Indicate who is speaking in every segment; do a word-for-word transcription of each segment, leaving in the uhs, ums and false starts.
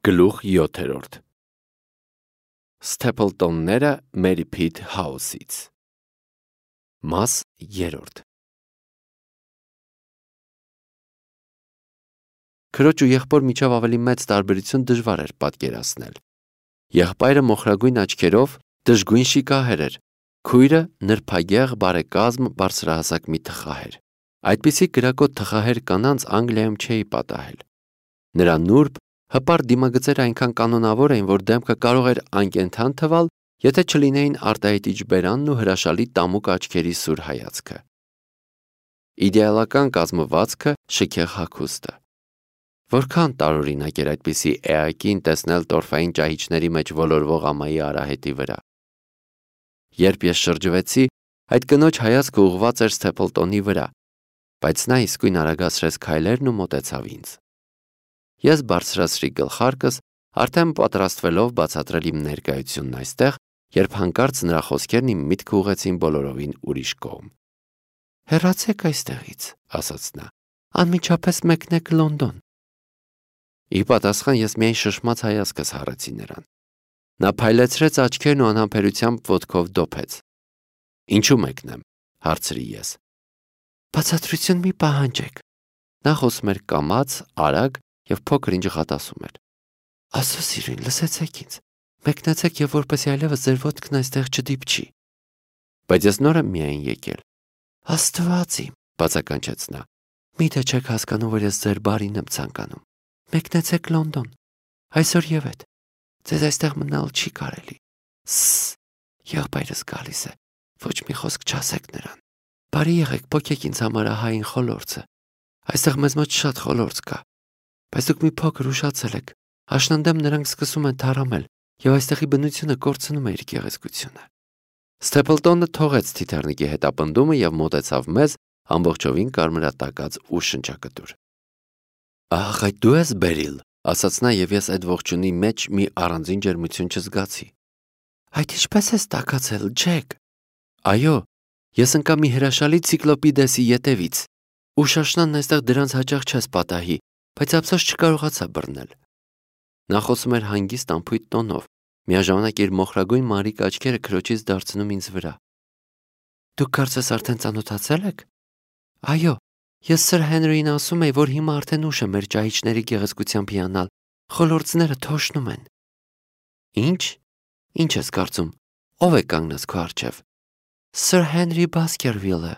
Speaker 1: Գլուխ յոթերորդ Սթեփլտոնները Մերի Փիթ Հաուսից Մաս երրորդ Քրոջ ու եղբոր միջև ավելի մեծ տարբերություն դժվար էր պատկերացնել։ Եղբայրը մոխրագույն աչքերով դժգույն շիկահեր էր, քույրը նրբագեղ բարեկազմ բարձրահասակ մի թխահեր։ Այդպիսի կրակոտ թխահեր կանանց Անգլիայում չէի պատահել։ Նրա նուրբ հպարտ դիմագծերը այնքան կանոնավոր էին, որ դեմքը կարող էր անկենդան թվալ, եթե չլինեին արտահայտիչ բերանն ու հրաշալի տամուկ աչքերի սուր հայացքը։ Իդեալական կազմվածքը, շքեղ հագուստը։ Որքան տարօրինակ էր այդպիսի էակին տեսնել տորֆային ճահիճների մեջ ոլորվող ամայի արահետի վրա։ Երբ ես շրջվեցի, այդ կնոջ հայացքը ուղղված էր Սթեփլտոնի վրա, բայց նա իսկույն արագացրեց քայլերն ու մոտեցավ ինձ։ Ես բարձրացրի գլխարկս, արդեն պատրաստվելով բացատրել իմ ներկայությունն այստեղ, երբ հանկարծ նրա խոսքերն իմ միտքը ուղղեցին բոլորովին ուրիշ կողմ։ «Հեռացեք այստեղից», ասաց նա, «անմիջապես մեկնեք Լոնդոն»։ Ի պատասխան ես միայն շշմած հայացքս հառեցի նրան։ Նա փայլեցրեց աչքերն ու անհամբերությամբ ոտքով դոփեց։ «Ինչու մեկնեմ», հարցրի ես։ «Բացատրություն մի պահանջեք»։ Նա խոսում էր կամաց, արագ և փոքր ինչ ղատասում էր։ «Աստծո սիրուն, լսեցեք ինձ, մեկնեցեք և որպեսզի այլևս ձեր ոտքն այստեղ չդիպչի»։ «Բայց ես նոր եմ միայն եկել»։ «Աստված իմ», բացականչեց նա, «միթե չեք հասկանում, որ ես ձեր բարին եմ ցանկանում։ Մեկնեցեք Լոնդոն, այսօր և հետ, ձեզ այստեղ մնալ չի կարելի։ Սս, եղբայրս գալիս է, ոչ մի խոսք չասեք նրան։ Բարի եղեք, պոկեք ինձ համար ահային խոլորձը, այստեղ մեզ մոտ շատ խոլորձ կա։ Բայց դուք մի փոքր ուշացել եք, աշնանդեմ նրանք սկսում են թառամել, և այստեղի բնությունը կորցնում է իր գեղեցկությունը»։ Սթեփլտոնը թողեց թիթեռնիկի հետապնդումը և մոտեցավ մեզ, ամբողջովին կարմրատակած ու շնչակտուր։ «Ահ, այդ դու ես Բերիլ», ասաց նա, և ես այդ ողջունի մեջ մի առանձին ջերմություն չզգացի։ «Այդ ինչպե՞ս ես տաքացել, Ջեք»։ «Այո, ես ընկա մի հրաշալի ցիկլոպիդեսի ետևից։ Ուշ աշնանն այստեղ դրանց հաճախ չես պատահի, բայց ափսոս չկարողացա բռնել»։ Նա խոսում էր հանգիստ անփույթ տոնով, միաժամանակ իր մոխրագույն մանրիկ աչքերը քրոջից դարձնում ինձ վրա։ «Դուք կարծես արդեն ծանոթացել եք»։ «Այո, ես Սըր Հենրիին ասում էի, որ հիմա արդեն ուշ է մեր ճահիճների գեղեցկությամբ հիանալ, խոլորձները թոշնում են»։ «Ի՞նչ, ի՞նչ ես կարծում, ով է կանգնած քո առջև»։ «Սըր Հենրի Բասքերվիլը»։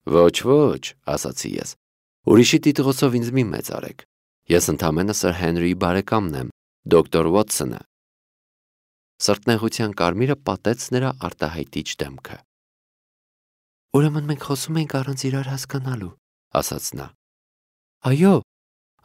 Speaker 1: «Ոչ, ոչ», ասացի ես, «ուրիշի տիտղոսով ինձ մի մեծ արեք։ Ես ընդամենը Սըր Հենրիի բարեկամն եմ, դոկտոր Ուոթսոնը»։ Սրտնեղության կարմիրը պատեց նրա արտահայտիչ դեմքը։ «Ուրեմն մենք խոսում ենք առանց իրար հասկանալու», ասաց նա։ «Այո,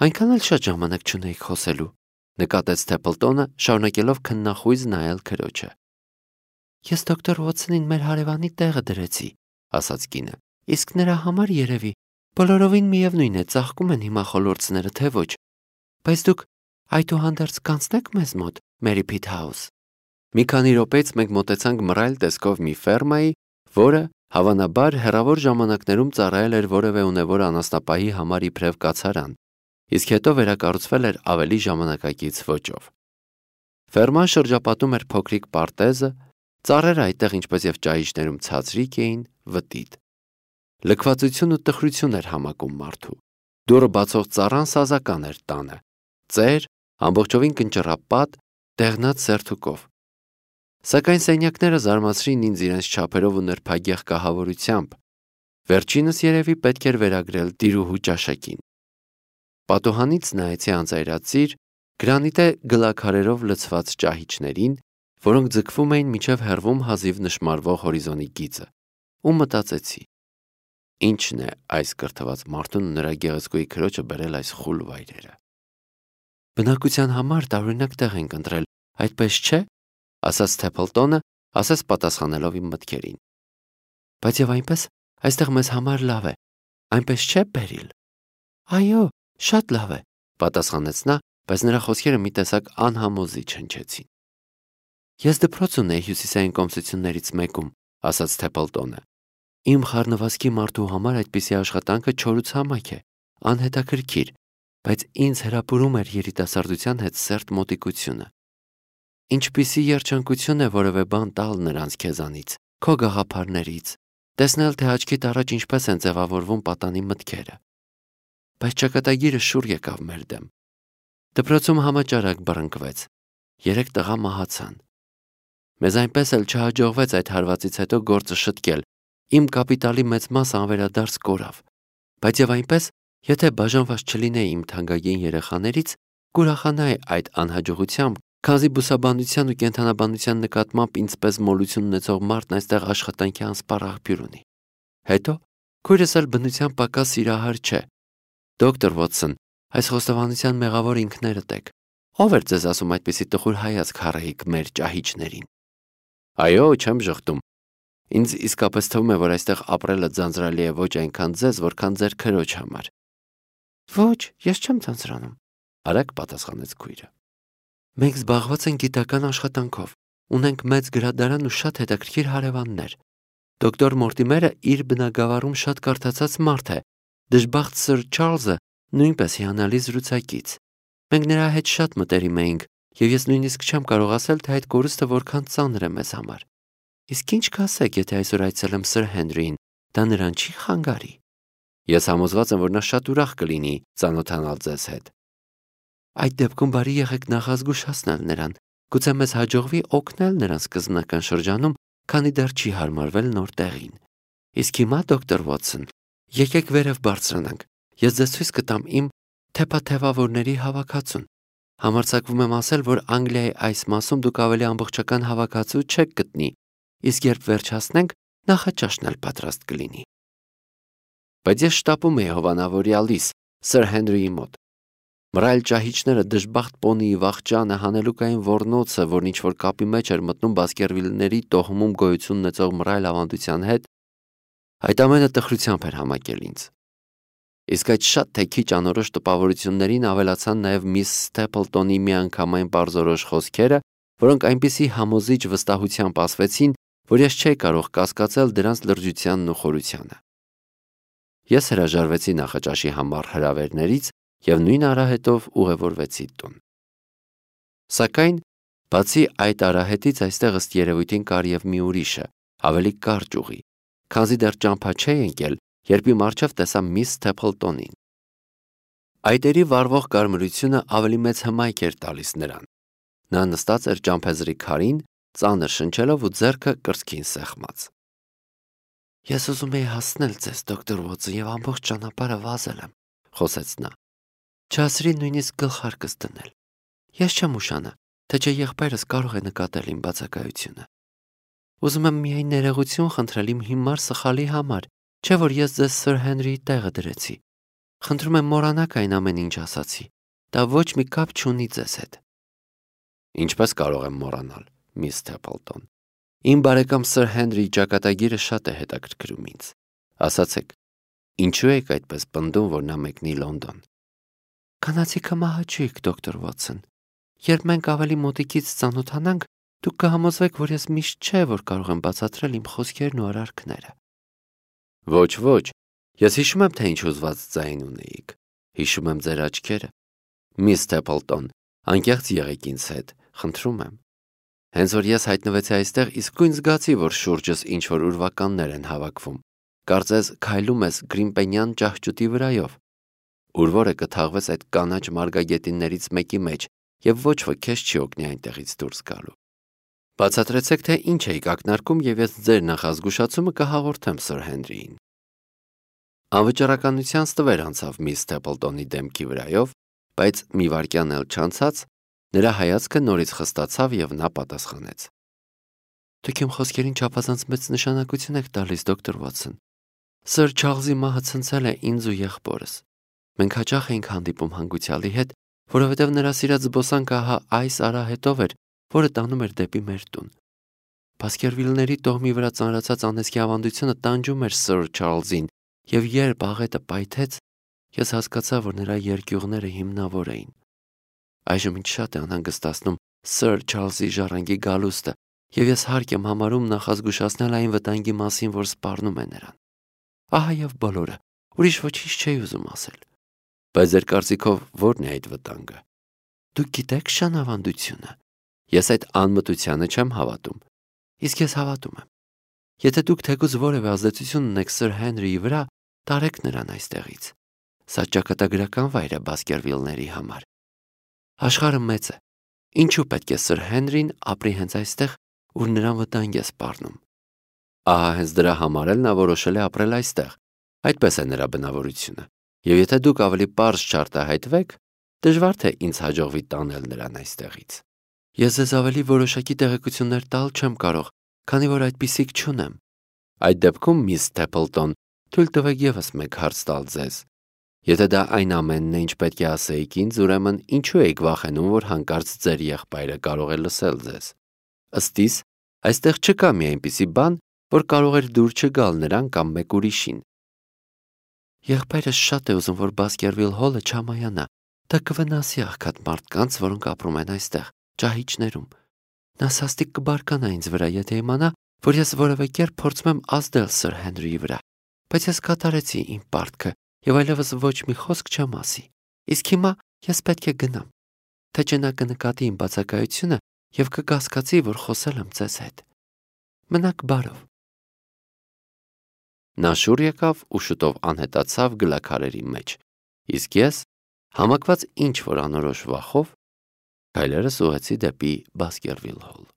Speaker 1: այնքան էլ շատ ժամանակ չունեիք խոսելու», նկատեց Սթեփլտոնը, շարունակելով քննախույզ նայել քրոջը։ «Ես դոկտոր Ուոթսոնին մեր հարևանի տեղը դրեցի», ասաց կինը, «իսկ նրա համար երևի բոլորովին միևնույն է, ծաղկում են հիմա խոլորձները, թե ոչ, բայց դուք այդուհանդերձ կանցնեք մեզ մոտ, Մերի Փիթ Հաուս»։ Մի քանի րոպեից մենք մոտեցանք մռայլ տեսքով մի ֆերմայի, որը, հավանաբար, հեռավոր ժամանակներում ծառայել էր որևէ ունևոր անասնապահի համար իբրև կացարան, իսկ հետո վերակառուցվել էր ավելի ժամանակակից ոճով։ Ֆերման շրջապատում էր փոքրիկ պարտեզը, ծառերը այդտեղ, ինչպես և ճահիճներում ցածրիկ էին, վտիտ։ Լքվածություն ու տխրություն էր համակում մարդու։ Դուռը բացող ծառան սազական էր տանը, ծեր, ամբողջովին կնճռապատ, դեղնած սերթուկով։ Սակայն սենյակները զարմացրին ինձ իրենց չափերով ու նրբագեղ կահավորությամբ։ Վերջինս երևի պետք էր վերագրել տիրուհու ճաշակին։ Պատուհանից նայեցի անծայրածիր, գրանիտե գլաքարերով լցված ճահիճներին, որոնք ձգվում էին մինչև հեռվում հազիվ նշմարվող հորիզոնի գիծը, ու մտածեցի. ի՞նչն է այս կրթված մարդուն ու նրա գեղեցկուհի քրոջը բերել այս խուլ վայրերը։ «Բնակության համար տարօրինակ տեղ ենք ընտրել, այդպես չէ», ասաց Սթեփլտոնը, ասես պատասխանելով իմ մտքերին։ «Բայց և այնպես այստեղ մեզ համար լավ է, այնպես չէ, Բերիլ»։ «Այո, շատ լավ է», պատասխանեց նա, բայց նրա խոսքերը մի տեսակ անհամոզիչ հնչեցին։ «Ես դպրոց ունեի հյուսիսային կոմսություններից մեկում», ասաց Սթեփլտոնը։ «Իմ խառնվածքի մարդու համար այդպիսի աշխատանքը չորուց համակ է, անհետաքրքիր, բայց ինձ հրապուրում էր երիտասարդության հետ սերտ մոտիկությունը։ Ինչպիսի երջանկություն է որևէ բան տալ նրանց քեզանից, քո գաղափարներից, տեսնել, թե աչքիդ առաջ ինչպես են ձևավորվում պատանի մտքերը։ Բայց ճակատագիրը շուռ եկավ մեր դեմ։ Դպրոցում համաճարակ բռնկվեց, երեք տղա մահացան։ Մեզ այնպես էլ չհաջողվեց այդ հարվածից հետո գործը շտկել, իմ կապիտալի մեծ մասը անվերադարձ կորավ, բայց եւ այնպես, եթե բաժանված չլինեի իմ թանկագին երեխաներից, կուրախանայի այդ անհաջողությամբ, քանզի բուսաբանության ու կենդանաբանության նկատմամբ ինձպես մոլություն ունեցող մարդն այստեղ աշխատանքի անսպառ աղբյուր ունի։ Հետո քույրս էլ բնության պակաս սիրահար չէ։ Դոկտոր Վոթսոն, այս խոստովանության մեղավոր ինքներդ եք։ Ո՞վ էր ձեզ ասում այդպիսի տխուր հայացք հառեիք մեր ճահիճներին։ Այո, չեմ ժխտում։ Ինձ իսկապես թվում է, որ այստեղ ապրելը ձանձրալի է ոչ այնքան ձեզ, որքան ձեր քրոջ համար։ Ոչ, ես չեմ ձանձրանում, արագ պատասխանեց քույրը։ Մենք զբաղված ենք գիտական աշխատանքով, ունենք մեծ գրադարան ու շատ հետաքրքիր հարևաններ։ Դոկտոր Մորտիմերը իր բնագավառում շատ կարդացած մարդ է, դժբախտ սըր Չարլզը նույնպես հիանալի զրուցակից։ Մենք նրա հետ շատ մտերիմ էինք, եւ ես նույնիսկ չեմ կարող ասել, թե այդ կորուստը որքան ծանր է մեզ համար։ Իսկ ինչ կասեք, եթե այսօր այցելեմ սըր Հենրիին, դա նրան չի խանգարի։ Ես համոզված եմ, որ նա շատ ուրախ կլինի ծանոթանալ ձեզ հետ։ Այդ դեպքում բարի եղեք նախազգուշացնել նրան, գուցե մեզ հաջողվի օգնել նրան սկզբնական շրջանում, քանի դեռ չի հարմարվել նոր տեղին։ Իսկ հիմա, դոկտոր Վոթսոն, եկեք վերև բարձրանանք, ես ձեզ ցույց կտամ իմ թեփաթևավորների հավաքածուն։ Համարձակվում եմ ասել, որ Անգլիայի այս մասում դուք ավելի ամբողջական հավաքածու չեք գտնի, իսկ երբ վերջացնենք, նախաճաշն էլ պատրաստ կլինի։ Բայց ես շտապում էի հովանավորյալիս, սըր Հենրիի մոտ։ Մռայլ ճահիճները, դժբախտ պոնիի վախճանը, հանելուկային ոռնոցը, որն ինչ-որ կապի մեջ էր մտնում Բասկերվիլների տոհմում գոյություն ունեցող մռայլ ավանդության հետ, այդ ամենը տխրությամբ էր համակել ինձ։ Իսկ այդ շատ թե քիչ անորոշ տպավորություններին ավելացան նաև միս Սթեփլտոնի միանգամայն պարզորոշ խոսքերը, որոնք այնպիսի համոզիչ վստահությամբ ասվեցին, որ ես չէի կարող կասկածել դրանց լրջությանն ու խորությանը։ Ես հրաժարվեցի նախաճաշի համար հրավերներից եւ նույն արահետով ուղևորվեցի տուն։ Սակայն, բացի այդ արահետից այստեղ ըստ երևույթին կար եւ մի ուրիշը, ավելի կարճ ուղի, քանզի դեռ ճամփա չէի ընկել, երբ իմ առջև տեսա միս Սթեփլտոնին։ Այտերի վառվող կարմրությունը ավելի մեծ հմայք էր տալիս նրան։ Նա նստած էր ճամփեզրի քարին, ծանր շնչելով ու ձեռքը կրծքին սեղմած։ Ես ուզում էի հասնել ձեզ, դոկտոր Վոթսոն, եւ ամբողջ ճանապարհը վազել եմ, խոսեց նա։ Չասրի նույնիսկ գլխարկս դնել։ Ես չեմ ուշանա, թե չէ եղբայրս կարող է նկատել իմ բացակայությունը։ Ուզում եմ միայն ներողություն խնդրել իմ հիմար սխալի համար, չէ՞ որ ես ձեզ սըր Հենրիի տեղը դրեցի։ Խնդրում եմ մոռանաք այն ամեն ինչ ասացի։ Դա ոչ մի կապ չունի ձեզ հետ։ Ինչպես կարող եմ մոռանալ, միս Սթեփլտոն։ Իմ բարեկամ սըր Հենրիի ճակատագիրը շատ է հետաքրքրում ինձ։ Ասացեք, ինչու եք այդպես պնդում, որ նա մեկնի Լոնդոն։ Կանացիքը մահաճույք, դոկտոր Վոթսոն։ Երբ մենք ավելի մոտիկից ծանոթանանք, դուք կհամոզվեք, որ ես միշտ չէ, որ կարող եմ բացատրել իմ խոսքերն ու արարքները։ Ոչ, ոչ, ես հիշում եմ, թե ինչ ուզված ձայն ունեիք։ Հիշում եմ ձեր աչքերը։ Միս Սթեփլտոն, անկեղծ եղեք ինձ հետ, խնդրում եմ։ Հենց որ ես հայտնվեցի այստեղ, իսկույն զգացի, որ շուրջս ինչ-որ ուրվականներ են հավաքվում։ Կարծես քայլում ես Գրիմպենյան ճահճուտի վրայով։ Ուր որը կթաղվես այդ կանաչ մարգագետիններից մեկի մեջ, եւ ոչ ոք քեզ չի օգնի այնտեղից դուրս գալու։ Բացատրեցեք, թե ինչ եք ակնարկում, եւ ես ձեր նախազգուշացումը կհաղորդեմ սըր Հենրիին։ Անվճարականության ստվեր անցավ միս Սթեփլտոնի դեմքի վրայով, բայց մի վայրկյան էլ չանցած, նրա հայացքը նորից խստացավ եւ նա պատասխանեց. Դուք իմ խոսքերին չափազանց մեծ նշանակություն եք տալիս, դոկտոր Վոթսոն։ Սըր Չարլզի մահը ցնցել է ինձ ու եղբորս։ Մենք հաճախ էինք հանդիպում հանգուցյալի հետ, որովհետև նրա սիրած զբոսանքը ահա այս արահետով էր, որը տանում էր դեպի մեր տուն։ Բասկերվիլների տոհմի վրա ծանրացած անեծքի ավանդությունը տանջում էր սըր Չարլզին, եւ երբ աղետը պայթեց, ես հասկացա, որ նրա երկյուղները հիմնավոր էին։ Այժմ ինձ շատ է անհանգստացնում սըր Չարլզի ժառանգի գալուստը, եւ ես հարկ եմ համարում նախազգուշացնել այն վտանգի մասին, որ սպառնում է նրան։ Ահա եւ բոլորը, ուրիշ ոչինչ չէի ուզում ասել։ Բայց ձեր կարծիքով ո՞րն է այդ վտանգը։ Դուք գիտեք շանավանդությունը։ Ես այդ անմտությանը չեմ հավատում։ Իսկ ես հավատում եմ։ Եթե դուք թեկուզ որևէ ազդեցություն ունեք Սր Հենրիի վրա, տարեք նրան այստեղից։ Սա ճակատագրական վայր է Բասկերվիլների համար։ Աշխարհը մեծ է։ Ինչու պետք է Սր Հենրին ապրի հենց այստեղ, ուր նրան վտանգ է սպառնում։ Ահա հենց դրա համար էլ նա որոշել է ապրել այստեղ։ Այդպես է նրա բնավորությունը։ Եվ եթե դուք ավելի պարզ չարտահայտվեք, դժվար թե ինձ հաջողվի տանել նրան այստեղից։ Ես ձեզ ավելի որոշակի տեղեկություններ տալ չեմ կարող, քանի որ այդպիսիք չունեմ։ Այդ դեպքում, միս Թեփլտոն, թույլ տվեք ևս մեկ հարց տալ ձեզ։ Եթե դա այն ամենն է, ինչ պետք է ասեիք ինձ, ուրեմն ինչու եք վախենում, որ հանկարծ ձեր եղբայրը կարող է լսել ձեզ։ Ըստ իս, այստեղ չկա մի այնպիսի բան, որ կարող էր դուր չգալ նրան կամ մեկ ուրիշին։ Եղբայրս շատ է ուզում, որ Բասկերվիլ Հոլը չամայանա։ Դա կվնասի աղքատ մարդկանց, որոնք ապրում են այստեղ, ճահիճներում։ Նա սաստիկ կբարկանա ինձ վրա, եթե իմանա, որ ես որևէ կերպ փորձում եմ ազդել Սր Հենրիի վրա, բայց ես կատարեցի իմ պարտքը եւ այլևս ոչ մի խոսք չեմ ասի։ Իսկ հիմա ես պետք է գնամ, թե չէ նա կնկատի իմ բացակայությունը եւ կկասկածի, որ խոսել եմ ձեզ հետ։ Մնաք բարով։ Նա շուռ եկավ ու շուտով անհետացավ գլաքարերի մեջ, իսկ ես, համակված ինչ որ անորոշ վախով, քայլերս ուղղեցի դեպի Բասկերվիլ Հոլ։